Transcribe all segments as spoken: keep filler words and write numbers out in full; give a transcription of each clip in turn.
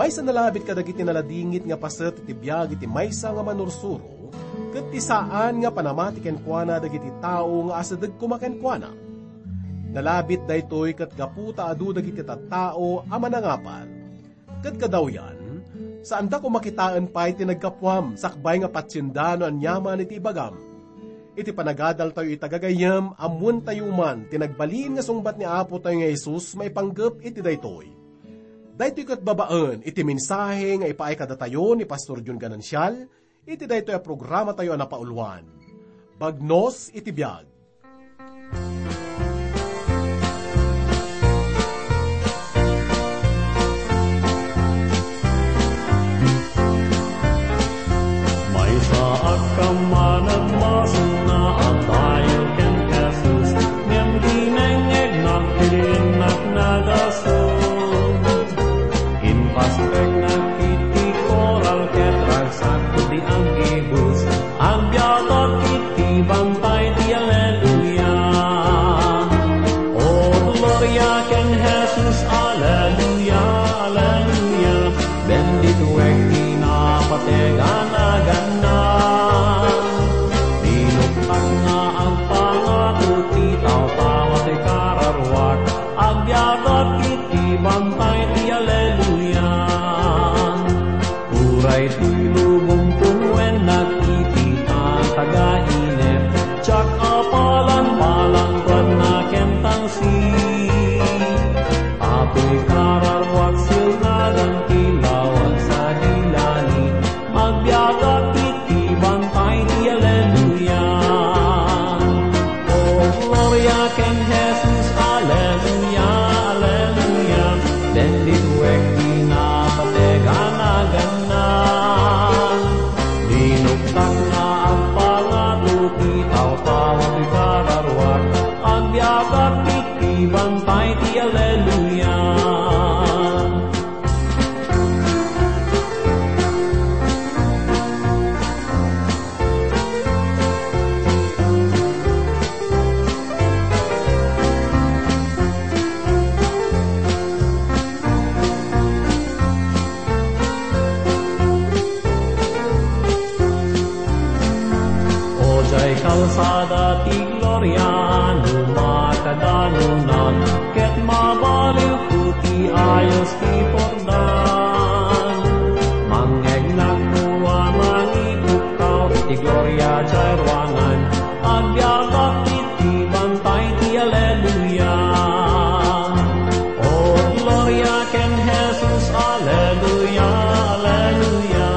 Maysa nalabit kadagiti naladingit nga paset iti biag iti maysa nga manursuro, ket ti saan nga panamati kenkuana dagiti tao nga asideg koma kenkuana. Nalabit daytoy ket gapu ta adu dagiti tattao a manangapal. Ket kadawyan, saanda koma kitaen pay ti naggapuam sakbay nga patienda no aniaman iti ibagam. Iti panagadaltayo ita gagayyem, ammoentayo man ti nagbalin nga sungbat ni Apotayo nga Jesus maipanggep iti daytoy. Daytoy ket babaen iti mensahe nga ipaay kadatayo ni Pastor Jun Ganancial iti daytoy a programatayo a napauluan, Bagnos iti Biag. Maysa a kammanagmasuna a dayo ken Jesus, ngem dinengngegnak ti innak nagasut. Impaspeknak iti koral ket ragsak iti agibus. Agbiagak iti bantay ti Alleluia. O gloria ken Jesus, Alleluia, Alleluia. Bendituek ti napateg a naganna. Dinuktak nga agpangato ti tawtawa ti kararuak. Agbiagak iti bantay ti Alleluia. Uray ti lubong punwennak iti tangtagainep, diak a palan-palan kuanna ken tangsit. Apoy kararuak, silnagan ti lawag sadi langit. Agbiagak iti bantay ti Alleluia. O gloria ken Jesus, Alleluia, Alleluia. Bendituek ti napateg a naganna. Dinuktak nga agpangato ti tawtawa ti kararuak. Agbiagak iti bantay ti Alleluia. O diay kalsada ti gloria, no makadanunan, ket mabalin ti ayos ti pordan. Mangngegnak no a mangipukkaw iti gloria diay ruangan, agbiagak iti bantay ti Alleluia. O gloria ken Jesus, Alleluia, Alleluia.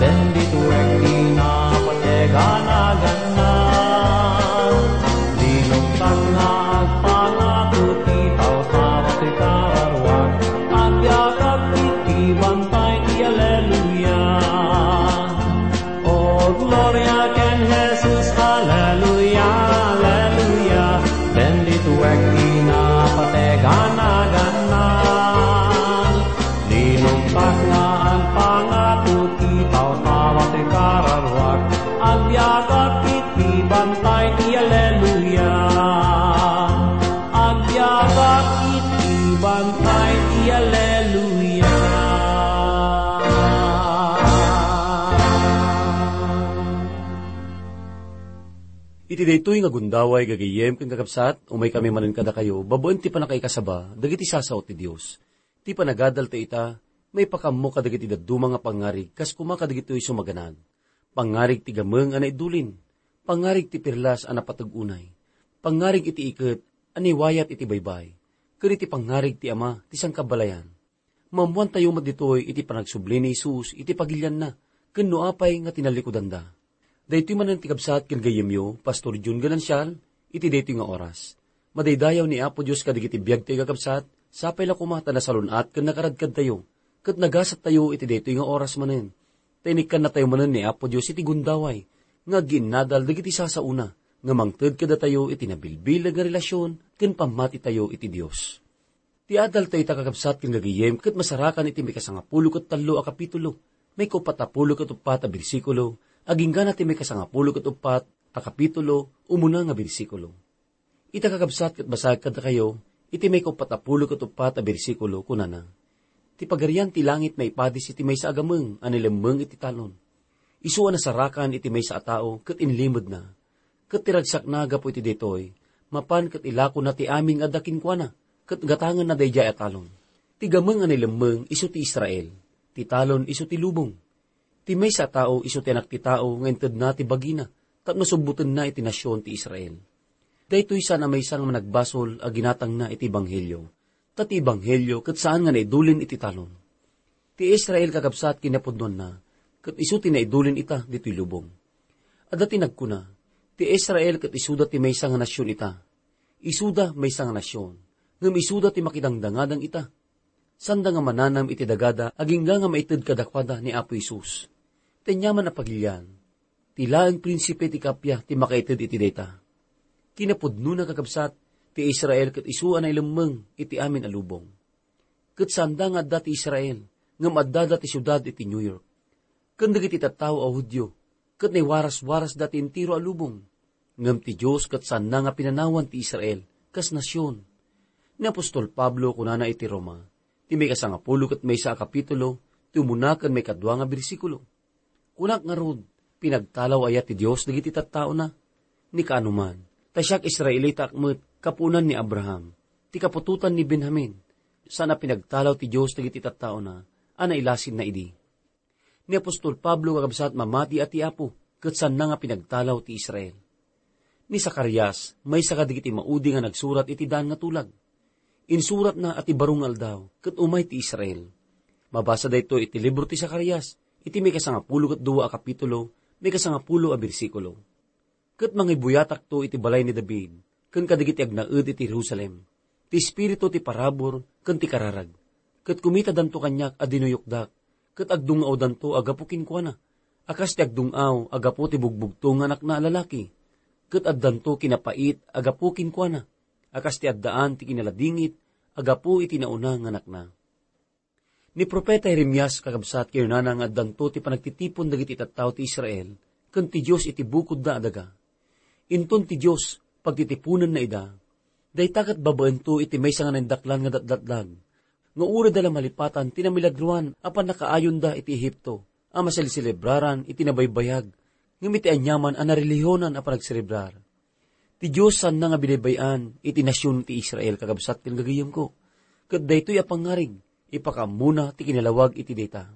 Bendituek ti napateg a naganna. Dinuktak nga agpangato ti tawtawa ti kararuak. Agbiagak iti bantay ti Alleluia. O gloria ken Jesus, Alleluia, Alleluia. Bendituek ti napateg a naganna. Dinuktak nga agpangato ti tawtawa ti kararuak. Agbiagak iti bantay ti Alleluia. Agbiagak iti bantay ti Alleluia. Iti daytoy nga gundaway, gagayyem ken kakabsat, umaykami manen kadakayo babaen ti pannakaikasaba dagiti sasao ti Dios. Ti panagadaltayo ita, maipakammo kadagiti dadduma nga pangngarig kas koma kadagitoy sumaganad. Pangngarig ti gameng a naidulin, pangngarig ti perlas a napateg unay, pangngarig iti iket a niwayat iti baybay, ken iti pangngarig ti Ama ti sangkabalayan. Maammoantayo met ditoy iti panagsubli ni Jesus iti pagilianna ken no apay nga tinallikudanda. Daytoy manen ti kabsat ken gayyemyo, Pastor Jun Ganancial, iti daytoy nga oras. Madaydayaw ni Apo Dios kadagiti biagtayo, kakabsat, sapay la koma ta nasalun-at ken nakaradkadtayo, ket nagasattayo iti daytoy nga oras manen. Ta inikkannatayo manen ni Apo Dios iti gundaway nga agiinnadal dagiti sasaona nga mangted kadatayo iti nabilbileg nga relasion ken pammatitayo iti Dios. Ti adaltayo ita, kakabsat ken gagayyem, ket masarakan iti maikasangapulo ket tallo a kapitulo, maikaupat a pulo ket uppat a bersikulo, agingga ti maikasangapulo ket uppat a kapitulo, umuna nga bersikulo. Ita, kakabsat, ket basag kadakayo iti maikaupat a pulo ket uppat a bersikulo, kunana, Ti Pagarian ti Langit maipadis iti maysa a gameng a nailemmeng iti talon. Isu a nasarakan iti maysa a tao ket inlimedna. Ket ti ragsakna gapu iti daytoy, mapan ket ilakona ti amin nga adda kenkuana, ket gatangenna daydiay a talon. Ti gameng a nailemmeng isu ti Israel, ti talon isu ti lubong. Ti maysa a tao isu ti Anak ti Tao nga intedna ti bagina tapno subbotenna iti nasion ti Israel. Daytoy saan a maysa nga managbasol a ginatangna iti ebanghelio, ta ti ebanghelio ket saan nga naidulin iti talon. Ti Israel, kakabsat, kinapudnuanna, ket isu ti naidulin ita ditoy lubong. Adda ti nagkuna, ti Israel ket isuda ti maysa nga nasion ita. Isuda maysa nga nasion, ngem isuda ti makidangdangadang ita. Sanda nga mananam iti dagada agingga nga maited kadakuada ni Apo Jesus. Ti aniaman a pagilian, ti laeng prinsipe ti kappia ti makaited iti dayta. Kinapudnona, kakabsat, ti Israel ket isu a nailemmeng iti amin a lubong. Ket saanda nga adda ti Israel, ngem addada ti siudad iti New York. Ken dagiti tattao a Judio, ket naiwaraswarasda ti entero a lubong. Ngem ti Dios ket saanna nga pinanawan ti Israel kas nasion. Ni apostol Pablo kunana iti Roma, ti maikasangapulo ket maysa a kapitulo, ti umuna ken maikadua nga bersikulo. Kunak ngarud, pinagtalaw aya ti Dios dagiti tattaona? Ni kaano man, ta siak Israelitaak met, kapuonan ni Abraham, ti kaputotan ni Benjamin. Saan a pinagtalaw ti Dios dagiti tattaona a nailasinna idi. Ni apostol Pablo, kakabsat, mamati a ti Apo, ket saanna nga pinagtalaw ti Israel. Ni Zacarias, maysa kadagiti maudi nga nagsurat iti daan nga tulag. Insuratna a ti baro nga aldaw, ket umay ti Israel. Mabasa daytoy iti libro ti Zacarias, iti maikasangapulo ket dua a kapitulo, maikasangapulo a bersikulo. Ket mangibuyatakto iti balay ni David, ken kadagiti agnaed iti Jerusalem, ti espiritu ti parabur ken ti kararag. Ket kumitadanto kaniak a dinuyokdak, ket agdung-awdanto a gapu kenkuana, a kas ti agdung-aw a gapu ti bugbugtong nga anakna a lalaki. Ket addanto kinapait a gapu kenkuana, a kas ti addaan ti kinaladingit a gapu iti nauna nga anakna. Ni profeta Jeremias, kakabsat, kinunana nga addanto ti panagtitipon dagiti tattao ti Israel ken ti Dios iti bukodda a daga. Inton ti Dios, pagtitiponenna ida. Dayta ket babaento iti maysa nga naindaklan nga datdatlag, nga uray da la malipatan ti namilagroan a pannakaayonda iti Egipto, a maseleselebraran iti nabaybayag, ngem iti aniaman a narelihiyonan a panagselebrar. Ti Dios saanna nga binaybay-an iti nasion ti Israel, kakabsat ken gagayemko. Ket daytoy a pangngarig, ipakaammona ti kinalawag iti dayta.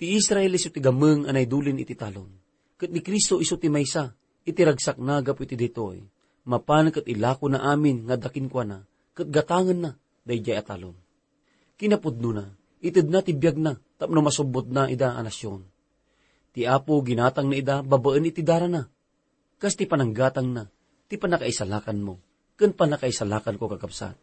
Ti Israel isu ti gameng a naidulin iti talon. Ket ni Cristo isu ti maysa, iti ragsakna gapu iti daytoy. Mapan ket ilakona amin nga adda kenkuana, ket gatangenna daydiay a talon. Kinapudnona, itedna ti biagna tapno masubbotna ida a nasion. Ti Apo ginatangna ida babaen iti darana. Kas ti pananggatangna, ti pannakaisalakanmo, ken pannakaisalakanko, kakabsat.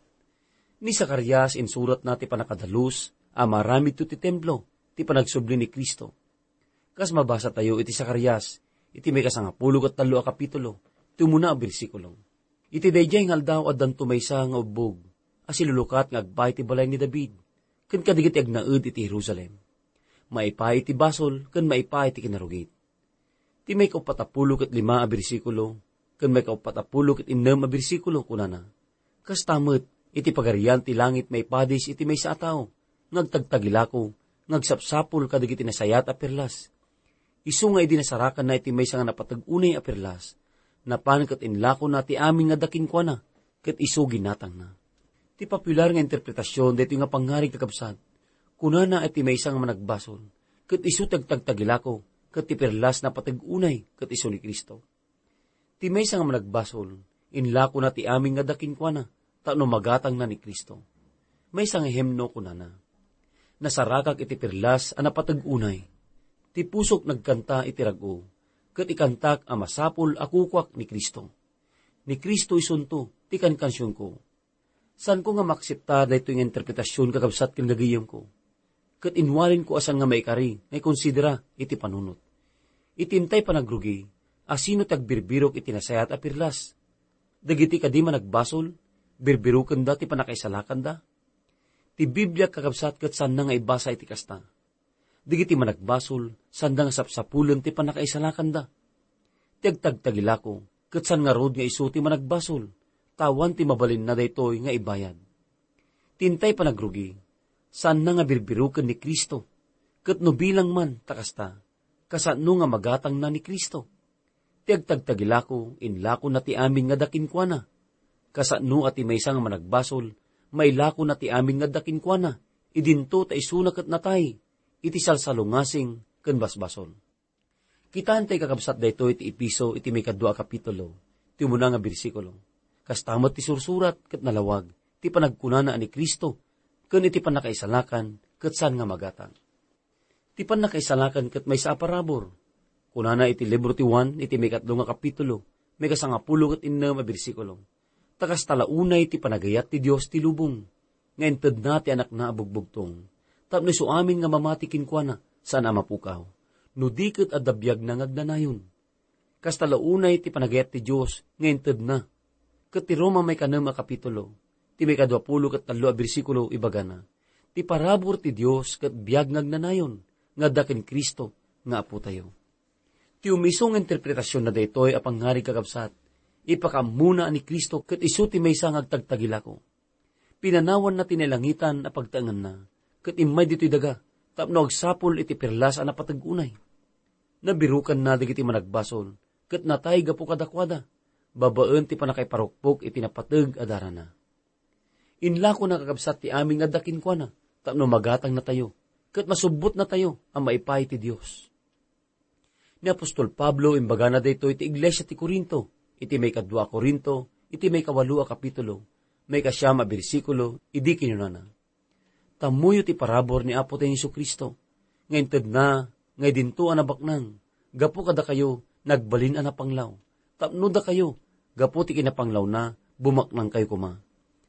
Ni Zacarias, insuratna ti pannakadalus a maaramidto ti templo, ti panagsubli ni Cristo. Kas mabasatayo iti Zacarias, iti maikasangapulo ket tallo a kapitulo, ti umuna a bersikulo. Iti daydiay nga aldaw, addanto maysa nga ubbog a silulukat nga agpaay ti balay ni David, ken kadagiti agnaed iti Jerusalem. Maipaay iti basol ken maipaay iti kinarugit. Ti maikauppat a pulo ket lima a bersikulo ken maikauppat a pulo ket innem a bersikulo kunana, "Kasta met iti Pagarian ti Langit maipadis iti maysa a tao nga agtagtagilako, nga agsapsapul kadagiti nasayaat a perlas. Isu nga idi nasarakanna iti maysa nga napateg unay a perlas, napan ket inlakona ti amin nga adda kenkuana, ket isu ginatangna." Ti popular nga interpretasion daytoy nga pangngarig, kakabsat, kunana iti maysa nga managbasol, "Ket isu ti agtagtagilako, ket ti perlas napateg unay, ket isu ni Cristo." Ti maysa nga managbasol, inlakona ti amin nga adda kenkuana, tapno magatangna ni Cristo. Maysa nga himno kunana, "Nasarakak iti perlas a napateg unay. Ti pusok nagkanta iti rag-o, ket ikantak a masapul a kukuak ni Cristo. Ni Cristo isunto ti kankansionko." Saanko nga maakseptar daytoy nga interpretasion, kakabsat ken gagayemko. Ket inwalinko a saan nga maikari nga ikonsidera iti panunot. Iti intay panagrugi, asino ti agbirbirok iti nasayaat a perlas? Dagiti kadi managbasol, birbirokenda ti pannakaisalakanda? Ti Biblia, kakabsat, ket saanna nga ibasa iti kasta. Dagiti managbasol, saanda nga sapsapulen ti pannakaisalakanda. Ti agtagtagilako, ket saan ngarud nga isu ti managbasol, ta awan ti mabalinna daytoy nga ibayad. Ti intay panagrugi, Saanna nga birbiruken ni Cristo, ket no bilang man ta kasta, kasano nga magatangna ni Cristo? Ti agtagtagilako, inlakona ti amin nga adda kenkuana. Kasano a ti maysa nga managbasol, mailakona ti amin nga adda kenkuana, idinto ta isuna ket natay iti salsalungasing ken basbasol. Kitaen tay, kakabsat, daytoy ti Efeso iti maikadua a kapitulo, ti umuna nga bersikulo. Kasta met ti sursurat ket nalawag ti panagkunana a ni Cristo ken iti pannakaisalakan ket saan nga magatang. Ti pannakaisalakan ket maysa a parabur. Kunana iti libro ti Juan iti maikatlo nga kapitulo, maikasangapulo ket innem a bersikulo. Ta kasta la unay ti panagayat ti Dios ti lubong, nga intedna ti Anakna a bugbugtong, tapno isu amin nga mamati kenkuana, saan a mapukaw. No di ket adda biagna nga agnanayon. Kasta la unay ti panagayat ti Dios nga intedna. Ket ti Roma maikanem a kapitulo, ti maikaduapulo ket tallo a bersikulo, ibagana, ti parabur ti Dios ket biag nga agnanayon nga adda ken Cristo nga Apotayo. Ti umiso nga interpretasion na daytoy a pangngarig, kakabsat, ipakaammona a ni Cristo ket isu ti maysa nga agtagtagilako. Pinanawanna ti nailangitan a pagtaenganna, ket immay ditoy daga, tapno agsapul iti perlas a napateg unay. Nabirukanna dagiti managbasol, ket natay gapu kadakuada, babaen ti pannakaiparukpok iti napateg a darana. Inlakona, kakabsat, ti amin nga adda kenkuana, tapno magatangnatayo, ket masubbotnatayo a maipaay ti Dios. Ni apostol Pablo, imbagana daytoy iti iglesia ti Corinto, iti maikadua a Corinto, iti maikawalo a kapitulo, maikasiam a bersikulo, idi kinunana, "Tammoyo ti parabur ni Apotayo Jesu-Cristo, nga intedna nga idinto a nabaknang, gapu kadakayo nagbalin a napanglaw, tapno dakayo, gapu ti kinapanglawna, bumaknangkayo koma.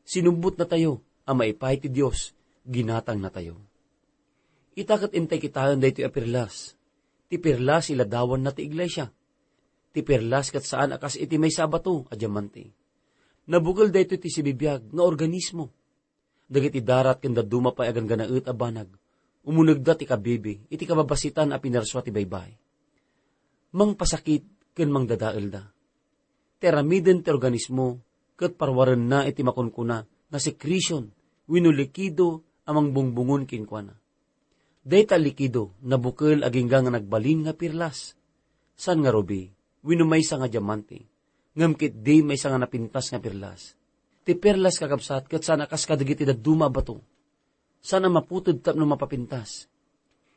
Sinubbotnatayo a maipaay ti Dios, ginatangnatayo." Ita ket intay kitaen daytoy a perlas. Ti perlas iladawanna ti iglesia. Ti perlas ket saan a kas iti maysa a bato a diamante. Nabukel daytoy ti sibibiag nga organismo. Dagiti darat ken dadduma pay a ganggannaet a banag, umunegda ti kabibi iti kababasitan a pinarsua ti baybay. Mangpasakit ken mangdadaelda. Ti aramiden ti organismo ket parwarenna iti makunkuna nga secretion wenno likido a mangbungbungon kenkuana. Dayta a likido nabukel agingga nga nagbalin nga perlas, saan nga rubi wenno maysa nga diamante, ngem ketdi maysa nga napintas nga perlas. Ti perlas, kakabsat, ket saan a kas kadagiti dadduma a bato. Saan a maputed tapno mapapintas.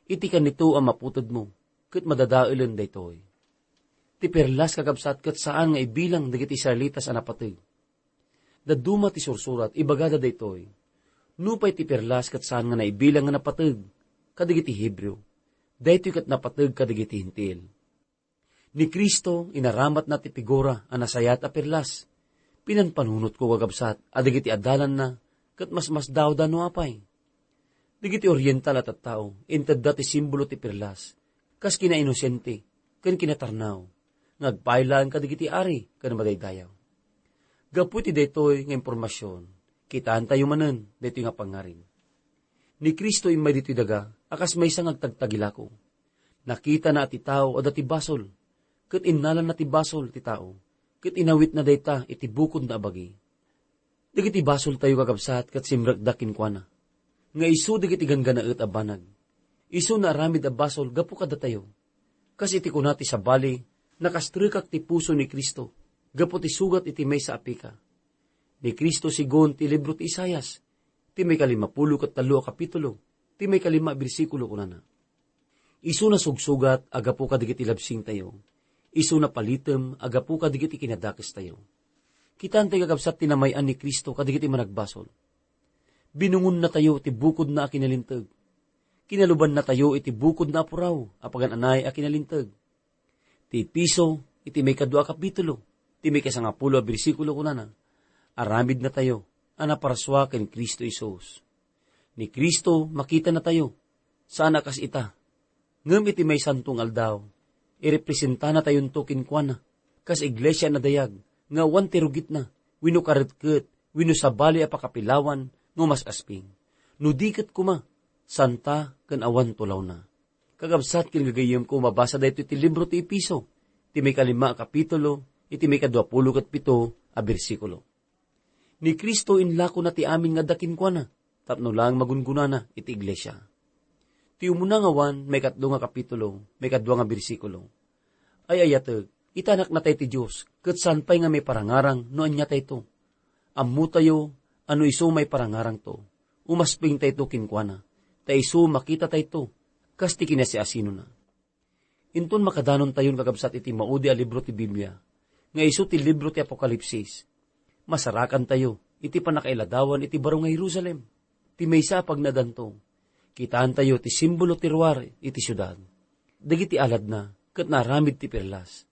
Iti kanito a maputedmo, ket madadaelen daytoy. Ti perlas, kakabsat, ket saan nga ibilang dagiti Israelitas a napateg. Dadduma ti sursurat, ibagada daytoy, "Nupay ti perlas ket saan nga naibilang nga napateg kadagiti Hebreo, daytoy ket napateg kadagiti Hentil." Ni Cristo, inaramatna ti figura a nasayaat a perlas. Pinanpanunotko, kakabsat, a dagiti adalanna ket masmasdaawda no apay. Dagiti Oriental a tattao, intedda ti simbolo ti perlas, kas kinainosente ken kinatarnaw, nga agpaay laeng kadagiti ari ken madaydayaw. Gapu iti daytoy nga impormasion, kitaentayo manen daytoy nga pangngarig. Ni Cristo immay ditoy daga a kas maysa nga agtagtagilako. Nakitana a ti tao adda ti basol, ket innalanna ti basol ti tao, ket inawitna dayta iti bukodna a bagi. Dagiti basoltayo, kakabsat, ket simrekda kenkuana, nga isu dagiti ganggannaet a banag. Isu naaramid a basol gapu kadatayo. Kas iti kuna ti sabali, "Nakastrekak ti puso ni Cristo gapu ti sugat iti maysa a pika." Ni Cristo, segun ti libro ti Isaias, ti maikalimapulo ket tallo a kapitulo, ti maikalima a bersikulo, kunana, "Isu nasugsugat a gapu kadagiti labsingtayo, isu napalitem a gapu kadagiti kinadakestayo." Kitaentay, kakabsat, ti namay-an ni Cristo kadagiti managbasol. Binungonnatayo ti bukodna a kinalinteg. Kinalubannatayo iti bukodna a puraw a pagan-anay a kinalinteg. Ti Efeso, iti maikadua a kapitulo, ti maikasangapulo a bersikulo, kunana, "Aramidnatayo a naparsua ken Cristo Jesus." Ni Cristo, makitanatayo, saan a kas ita. Ngem iti maysanto nga aldaw, irepresentanatayonto kenkuana, kas iglesia a nadayag, nga awan ti rugitna, wenno karetket, wenno sabali a pakapilawan, nga umas-asping. No di ket koma, santa ken awan tulawna. Kakabsat ken gagayyemko, mabasa daytoy ti libro ti Efeso, ti maikalima a kapitulo, iti maikaduapulo ket pito a bersikulo. Ni Cristo inlakona ti amin nga adda kenkuana, tapno laeng magungunana iti iglesia. Ti umuna nga Juan, maikatlo nga kapitulo, maikadua nga bersikulo. Ay-ayatek, ita anaknatay ti Dios, ket saan pay nga maiparangarang no aniatayto. Ammotayo a no isu maiparangarangto, umaspingtayto kenkuana, ta isu makitatayto, kas ti kinasiasinona. Inton makadanontayon, kakabsat, iti maudi a libro ti Biblia, nga isu ti libro ti Apokalipsis, masarakantayo iti pannakailadawan iti baro nga Jerusalem, ti maysa a pagnaedanto. Kitaantayo ti simbolo ti ruar iti siudad. Dagiti aladna ket naaramid ti perlas.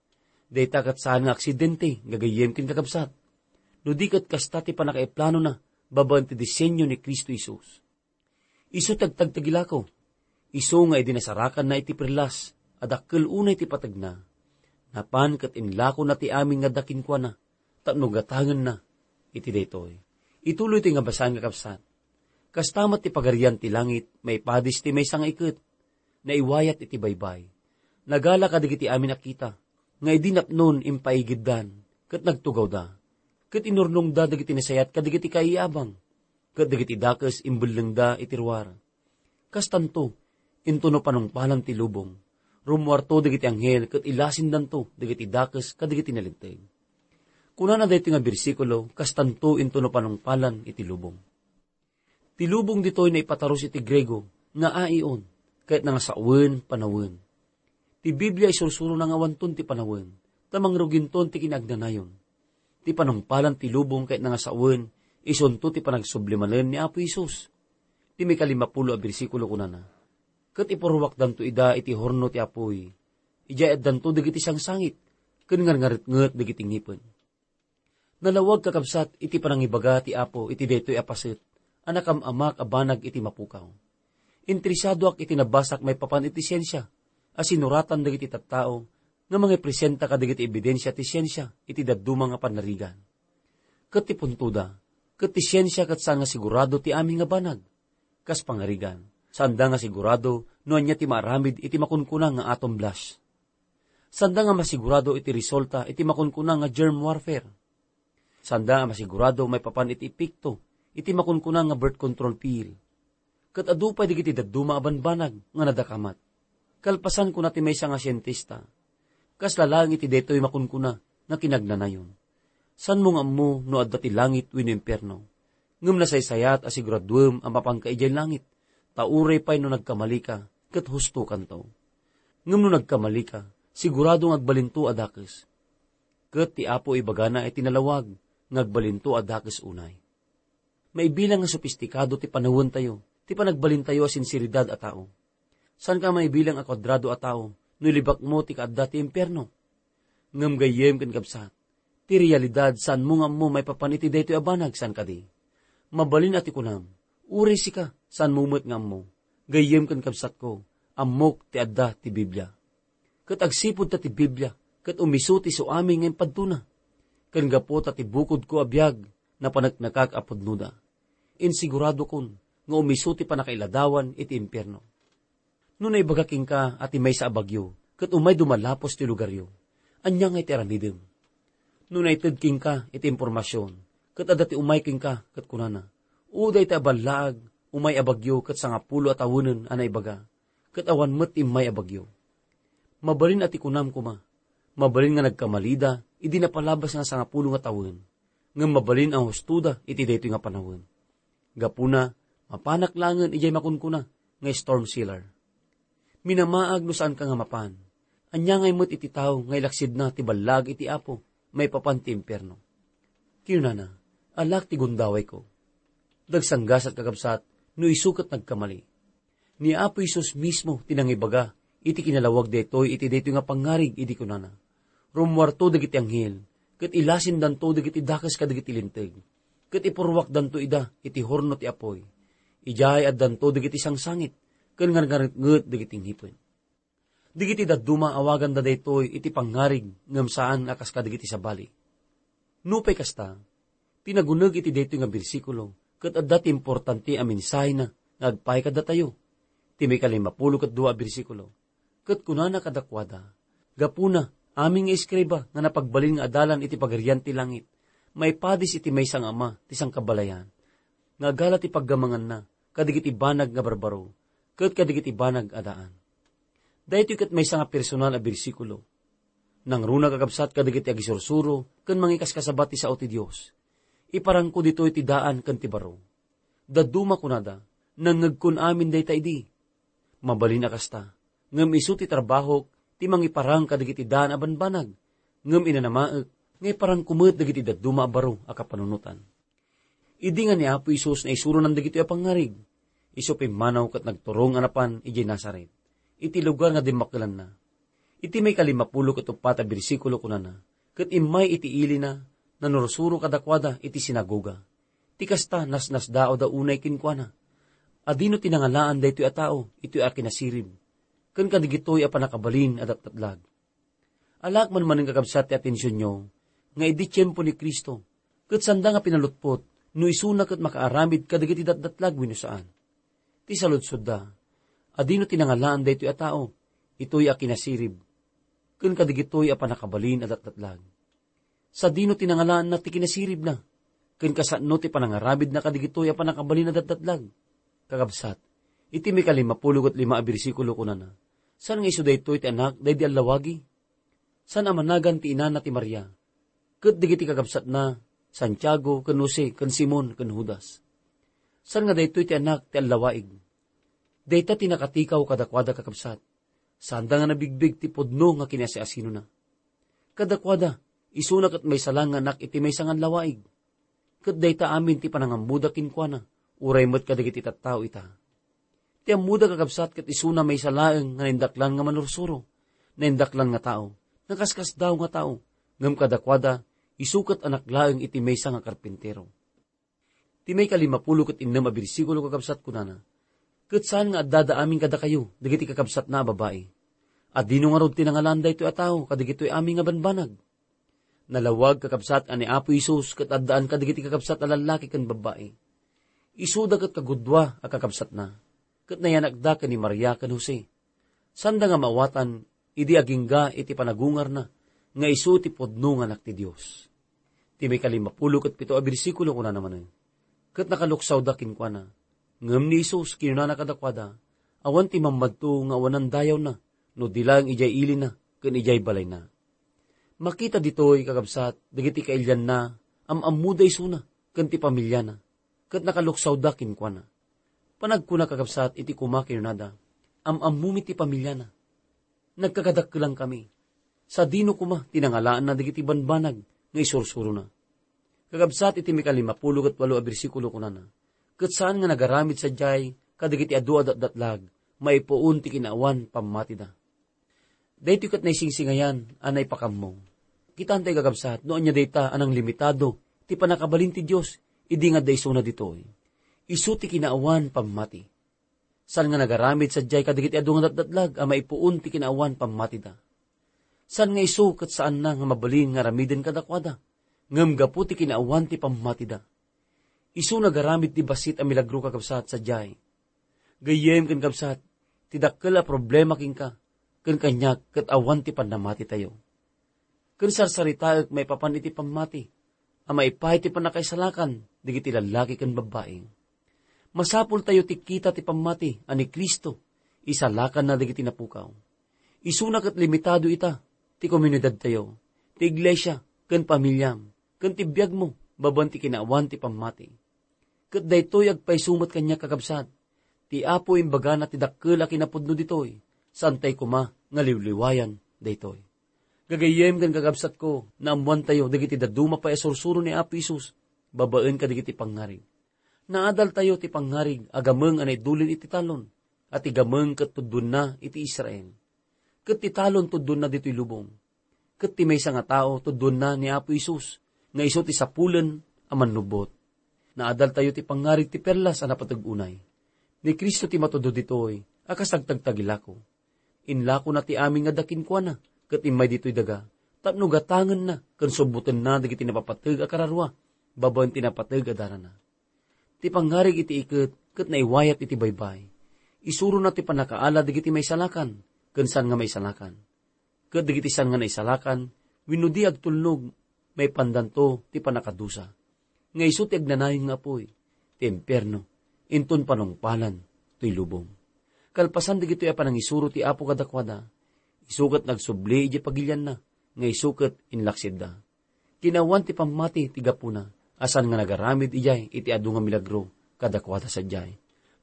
Dayta ket saan nga aksidente, gagayyem ken kakabsat. No di ket kasta ti pannakaiplanona babaen ti disenyo ni Cristo Jesus. Isu ti agtagtagilako. Isu nga idi nasarakanna iti perlas a dakkel unay ti pategna, napan ket inlakona ti amin nga adda kenkuana tapno gatangenna iti daytoy. Ituloy ti nga basaan, kakabsat. Kasta met ti Pagarian ti Langit, maipadis ti maysa nga iket. Naiwayat iti baybay. Nagala kadagiti amin a kita, nga idi napnon, impaigiddan, ket nagtugawda. Ket inurnongda dagiti nasayaat kadagiti kaiabang, ket dagiti dakes imbellengda iti ruar. Kastanto, intono panungpalan ti lubong, rummuarto dagiti anghel ket ilasindanto dagiti dakes kadagiti nalinteg. Kunana daytoy nga bersikulo, kastanto intono panungpalan iti lubong. Ti lubong ditoy naipatarus iti Griego nga aion, ket nangasawen panawen. Ti Biblia isursurona nga awanton ti panawen, ta mangruginton ti kinaagnanayon. Ti panungpalan ti lubong ket nangasawen, isunto ti panagsubli manen ni Apo Jesus. Ti maikalimapulo a bersikulo kunana, "Ket ipurruakdanto ida iti horno ti apuy. Idiay addanto dagiti sangsangit, ken ngarngaretnget dagiti ngipen." Nalawag, kakabsat, iti panangibaga ti Apo iti daytoy a paset a nakam-amak a banag iti mapukaw. Interesadoak iti nabasak maipapan iti siensia a sinuratan dagiti tattao nga mangipresenta kadagiti ebidensia ti siensia iti dadduma nga pannarigan. Ket ti puntoda, ket ti siensia ket saan nga sigurado ti amin nga banag. Kas pangarigan, saanda nga sigurado no ania ti maaramid iti makunkuna nga atom blast. Saanda nga masigurado iti resulta iti makunkuna nga germ warfare. Saanda nga masigurado maipapan iti epekto iti makunkuna nga birth control pill. Ket adu pay dagiti dadduma a banbanag nga nadakamat. Kalpasan, kuna ti maysa nga sientista, kasla laeng iti daytoy makunkuna nga kinagnanayon. Saanmo nga ammo no adda ti langit wenno impierno. Ngem nasaysayat a siguraduem a mapanka idiay langit, ta uray pay no nagkamalika, ket hustokanto. Ngem no nagkamalika, sigurado nga agbalinto a dakes. Ket ti Apo ibagana iti nalawag nga agbalinto a dakes unay. Maibilang nga sopistikado ti panawentayo, ti panagbalintayo a sinseridad a tao. Saanka maibilang a kuadrado a tao no ilibakmo ti kaadda ti impierno. Ngem gayyem ken kabsat, ti realidad, saanmo nga ammo maipapan iti daytoy a banag, saan kadi? Mabalin a ti kunam, uray sika, saanmo met nga ammo. Gayyem ken kabsatko, ammok ti adda ti Biblia. Ket agsipud ta ti Biblia ket umisu ti isuamin nga impadtona, ken gapu ta ti bukodko a biag napaneknekak a pudnoda, insiguradokon nga umisu ti pannakailadawan iti impierno. No naibaga kenka a ti maysa a bagyo ket umay dumalapos ti lugaryo, ania ngay ti aramidem? No naited kenka iti impormasion ket adda ti umay kenka ket kunana, "O, dayta a ballaag, umay a bagyo ket sangapulo a tawenen a naibaga, ket awan met immay a bagyo." Mabalin a ti kunam koma, mabalin nga nagkamalida idi napalabas nga sangapulo nga tawen, ngem mabalin a hustoda iti daytoy nga panawen. Gapuna, mapanak laengen idiay makunkuna nga storm cellar. Minamaag no saanka nga mapan. Ania ngay met iti tao nga ilaksidna ti ballaag iti Apo maipapan ti impierno? Kinunana, "Alaak ti gundawayko." Dagsanggasat, kakabsat, no isu ket nagkamali. Ni Apo Jesus mismo ti nangibaga iti kinalawag daytoy iti daytoy nga pangngarig idi kunana, "Rummuarto dagiti anghel, ket ilasindanto dagiti dakes kadagiti linteg, ket ipurruakdanto ida iti horno ti apuy. Idiay addanto dagiti sangsangit, ken ngarngaretnget dagiti ngipen." Dagiti dadduma, awaganda daytoy iti pangngarig ngem saan a kas kadagiti sabali. Nupay kasta, ti naguneg iti daytoy nga bersikulo ket adda ti importante a mensahena nga agpaay kadatayo. Ti maikalimapulo ket dua a bersikulo, ket kunana kadakuada, "Gapuna, amin nga eskriba nga napagbalin nga adalan iti Pagarian ti Langit, maipadis iti maysa nga ama ti sangkabalayan, nga agala ti paggamanganna kadagiti banag nga barbaro ket kadagiti banag a daan. Daytoy ket maysa nga personal a bersikulo. Nangruna, kakabsat, kadagiti agisursuro ken mangikaskasabat ti sao ti Dios. Iparangko ditoy ti daan ken ti baro. Dadduma, kunada, nangngegkon amin dayta idi. Mabalin a kasta, ngem isu ti trabahok ti mangiparang kadagiti daan a banbanag, ngem inanamaek nga iparangko met dagiti dadduma a baro a kapanunotan. Idi nga ni Apo Jesus naisuronan dagitoy a pangngarig, isu pimmanaw ket nagturong a napan idiay Nazaret, iti lugar nga dimmakelanna. Iti maikalimapulo ket uppat a bersikulo kunana, "Ket immay iti ilina, nanursuro kadakuada iti sinagoga. Ti kasta, nasnasdaawda unay kenkuana. Adino ti nangalaan daytoy a tao, itoy a kinasirib, ken kadagitoy a pannakabalin a datdatlag." Alaek man manen, kakabsat, ti atensionyo nga idi tiempo ni Cristo, ket sanda nga pinalutpot no isuna ket makaaramid kadagiti datdatlag wenno saan. Ti saludsodda, adino ti nangalaan daytoy a tao, itoy a kinasirib, ken kadagitoy a pannakabalin a datdatlag? Sadino ti nangalaanna ti kinasiribna, ken kasano ti panangaramidna kadagitoy a pannakabalin a datdatlag? Kakabsat, iti maikalimapulo ket lima a bersikulo, kunana, "Saan nga isu daytoy ti anak daydi allawagi? Saan a managan ti inana ti Maria, ket dagiti kakabsatna, Santiago ken Jose ken Simon ken Judas? Saan nga daytoy ti anak ti allawaig?" Dayta ti nakatikaw kadakuada, kakabsat. Saanda nga nabigbig ti pudno nga kinasiasinona. Kadakuada, isuna ket maysa laeng nga anak iti maysa nga allawaig. Ket dayta amin ti panangammoda kenkuana, uray met kadagiti tattao ita. Ti ammoda, kakabsat, ket isuna maysa laeng nga naindaklan nga manursuro, naindaklan nga tao, nakaskasdaaw nga tao, ngem kadakuada, isu ket anak laeng iti maysa nga karpintero. Ti maikalimapulo ket innem a bersikulo, kakabsat, kunana, "Ket saan nga addada amin kadakayo dagiti kakabsatna a babai? Adino ngarud ti nangalaan daytoy a tao kadagitoy amin nga banbanag?" Nalawag, kakabsat, a ni Apo Jesus ket addaan kadagiti kakabsat a lallaki ken babbai. Isuda ket kagudua a kakabsatna, ket nayanakda ken ni Maria ken Jose. Saanda nga maawatan idi agingga iti panagungarna nga isu ti pudno nga Anak ti Dios. Ti maikalimapulo ket pito a bersikulo, kunana manen, "Ket nakaluksawda kenkuana. Ngem ni Jesus kinunana kadakuada, 'Awan ti mammadto nga awanan dayawna no di laeng idiay ilina ken idiay balayna.'" Makita ditoy, kakabsat, dagiti kailianna, am-ammoda isuna ken ti pamiliana, ket nakaluksawda kenkuana. Panagkuna, kakabsat, iti koma kinunada, "Am-ammomi ti pamiliana. Nagkakadakkelangkami." Sadino koma ti nangalaanna dagiti banbanag nga isursurona? Kakabsat, iti maikalimapulo ket walo a bersikulo, kunana, "Ket saan nga nagaramid sadiay kadagiti adu a datdatlag maipuon ti kinaawan pammatida." Daytoy ket naisingsingayan a naipakammo. Kitaentayo, kakabsat, no ania dayta a nanglimitado ti pannakabalin ti Dios idi nga adda isuna ditoy. Isu ti kinaawan pammati. Saan nga nagaramid sadiay kadagiti adu nga datdatlag a maipuon ti kinaawan pammatida. Saan nga isu ket saanna nga mabalin nga aramiden kadakuada, ngem gapu ti kinaawan ti pammatida. Isu nagaramid ti bassit a milagro, kakabsat, sadiay. Gayyem ken kabsat, ti dakkel a problema kenka ken kaniak ket awan ti pannamatitayo. Ken sarsaritaek maipapan iti pammati a maipaay ti pannakaisalakan dagiti lallaki ken babbai. Masapultayo ti kita ti pammati a ni Cristo, isalakanna dagiti napukaw. Isuna ket limitado ita ti komunidadtayo, ti iglesia, ken pamiliam, ken ti biagmo babaen ti kinaawan ti pammati. Ket daytoy agpayso met kaniak, kakabsat. Ti Apo imbagana ti dakkel a kinapudno ditoy, saantay koma nga liwliwayan daytoy. Gagayyem ken kakabsatko, naammoantayo dagiti dadduma pay a sursuro ni Apo Jesus babaen kadagiti pangngarig. Naadaltayo ti pangngarig a gameng a naidulin iti talon, a ti gameng ket tudduenna iti Israel. Ket ti talon tudduenna ditoy lubong. Ket ti maysa nga tao tudduenna ni Apo Jesus nga isu ti sapulen a mannubbot. Naadaltayo ti pangngarig ti perlas a napateg unay. Ni Cristo ti matudlo ditoy a kas agtagtagilako. Inlakona ti amin nga adda kenkuana ket immay ditoy daga tapno gatangenna ken subbotenna dagiti napapateg a kararua babaen ti napateg a darana. Ti pangngarig iti iket ket naiwayat iti baybay. Isurona ti pannakaala dagiti maisalakan ken saan nga maisalakan. Ket dagiti saan nga naisalakan wenno di agtulnog, maipandanto ti pannakadusa. Nga isu ti agnanayon nga apuy. ti impierno, inton panungpalan toy lubong. Kalpasan dagitoy a panangisuro ti Apo kadakuada, isu ket nagsubli idiay pagilianna nga isu ket inlaksidda. Kinawan ti pammati ti gapuna a saan nga nagaramid idiay iti adu nga milagro kadakuada sadiay.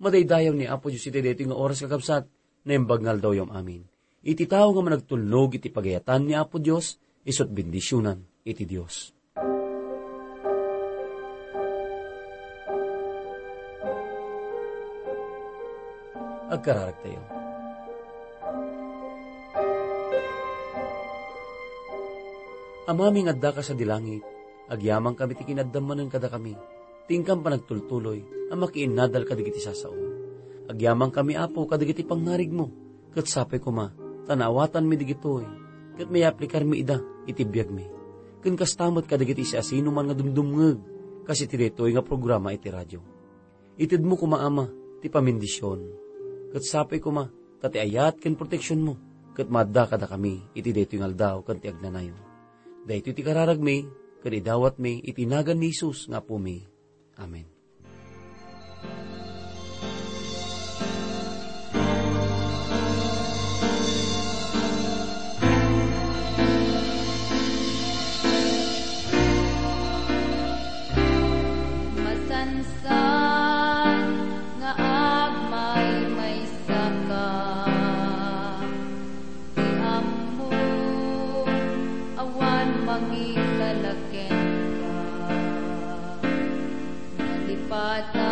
Madaydayaw ni Apo Dios iti daytoy nga oras, kakabsat, naimbag nga aldawyom amin. Iti tao nga managtulnog iti pagayatan ni Apo Dios, isut' bendisionan iti Dios. Agkararagtayo. Amami nga addaka sadi langit, agyamankami ti kinaddam manen kadakami, ti inkam panagtultuloy a makiinnadal kadagiti sasao. Agyamankami, Apo, kadagiti pangngarigmo, ket sapay koma ta naawatanmi dagitoy, ket mayaplikarmi ida iti biagmi. Ken kasta met kadagiti siasinoman nga dumdumngeg kas iti daytoy nga programa iti radio. Itedmo koma, Ama, ti pamindision, ket sapay koma ta ti ayat ken proteksionmo ket maadda kadakami iti daytoy nga aldaw ken ti agnanayon. Daytoy ti kararagmi ken idawatmi iti nagan ni Jesus nga Apomi. Amen. Masansan nga agmaymaysaka, ti ammom awan mangisala kenka. Nalipatan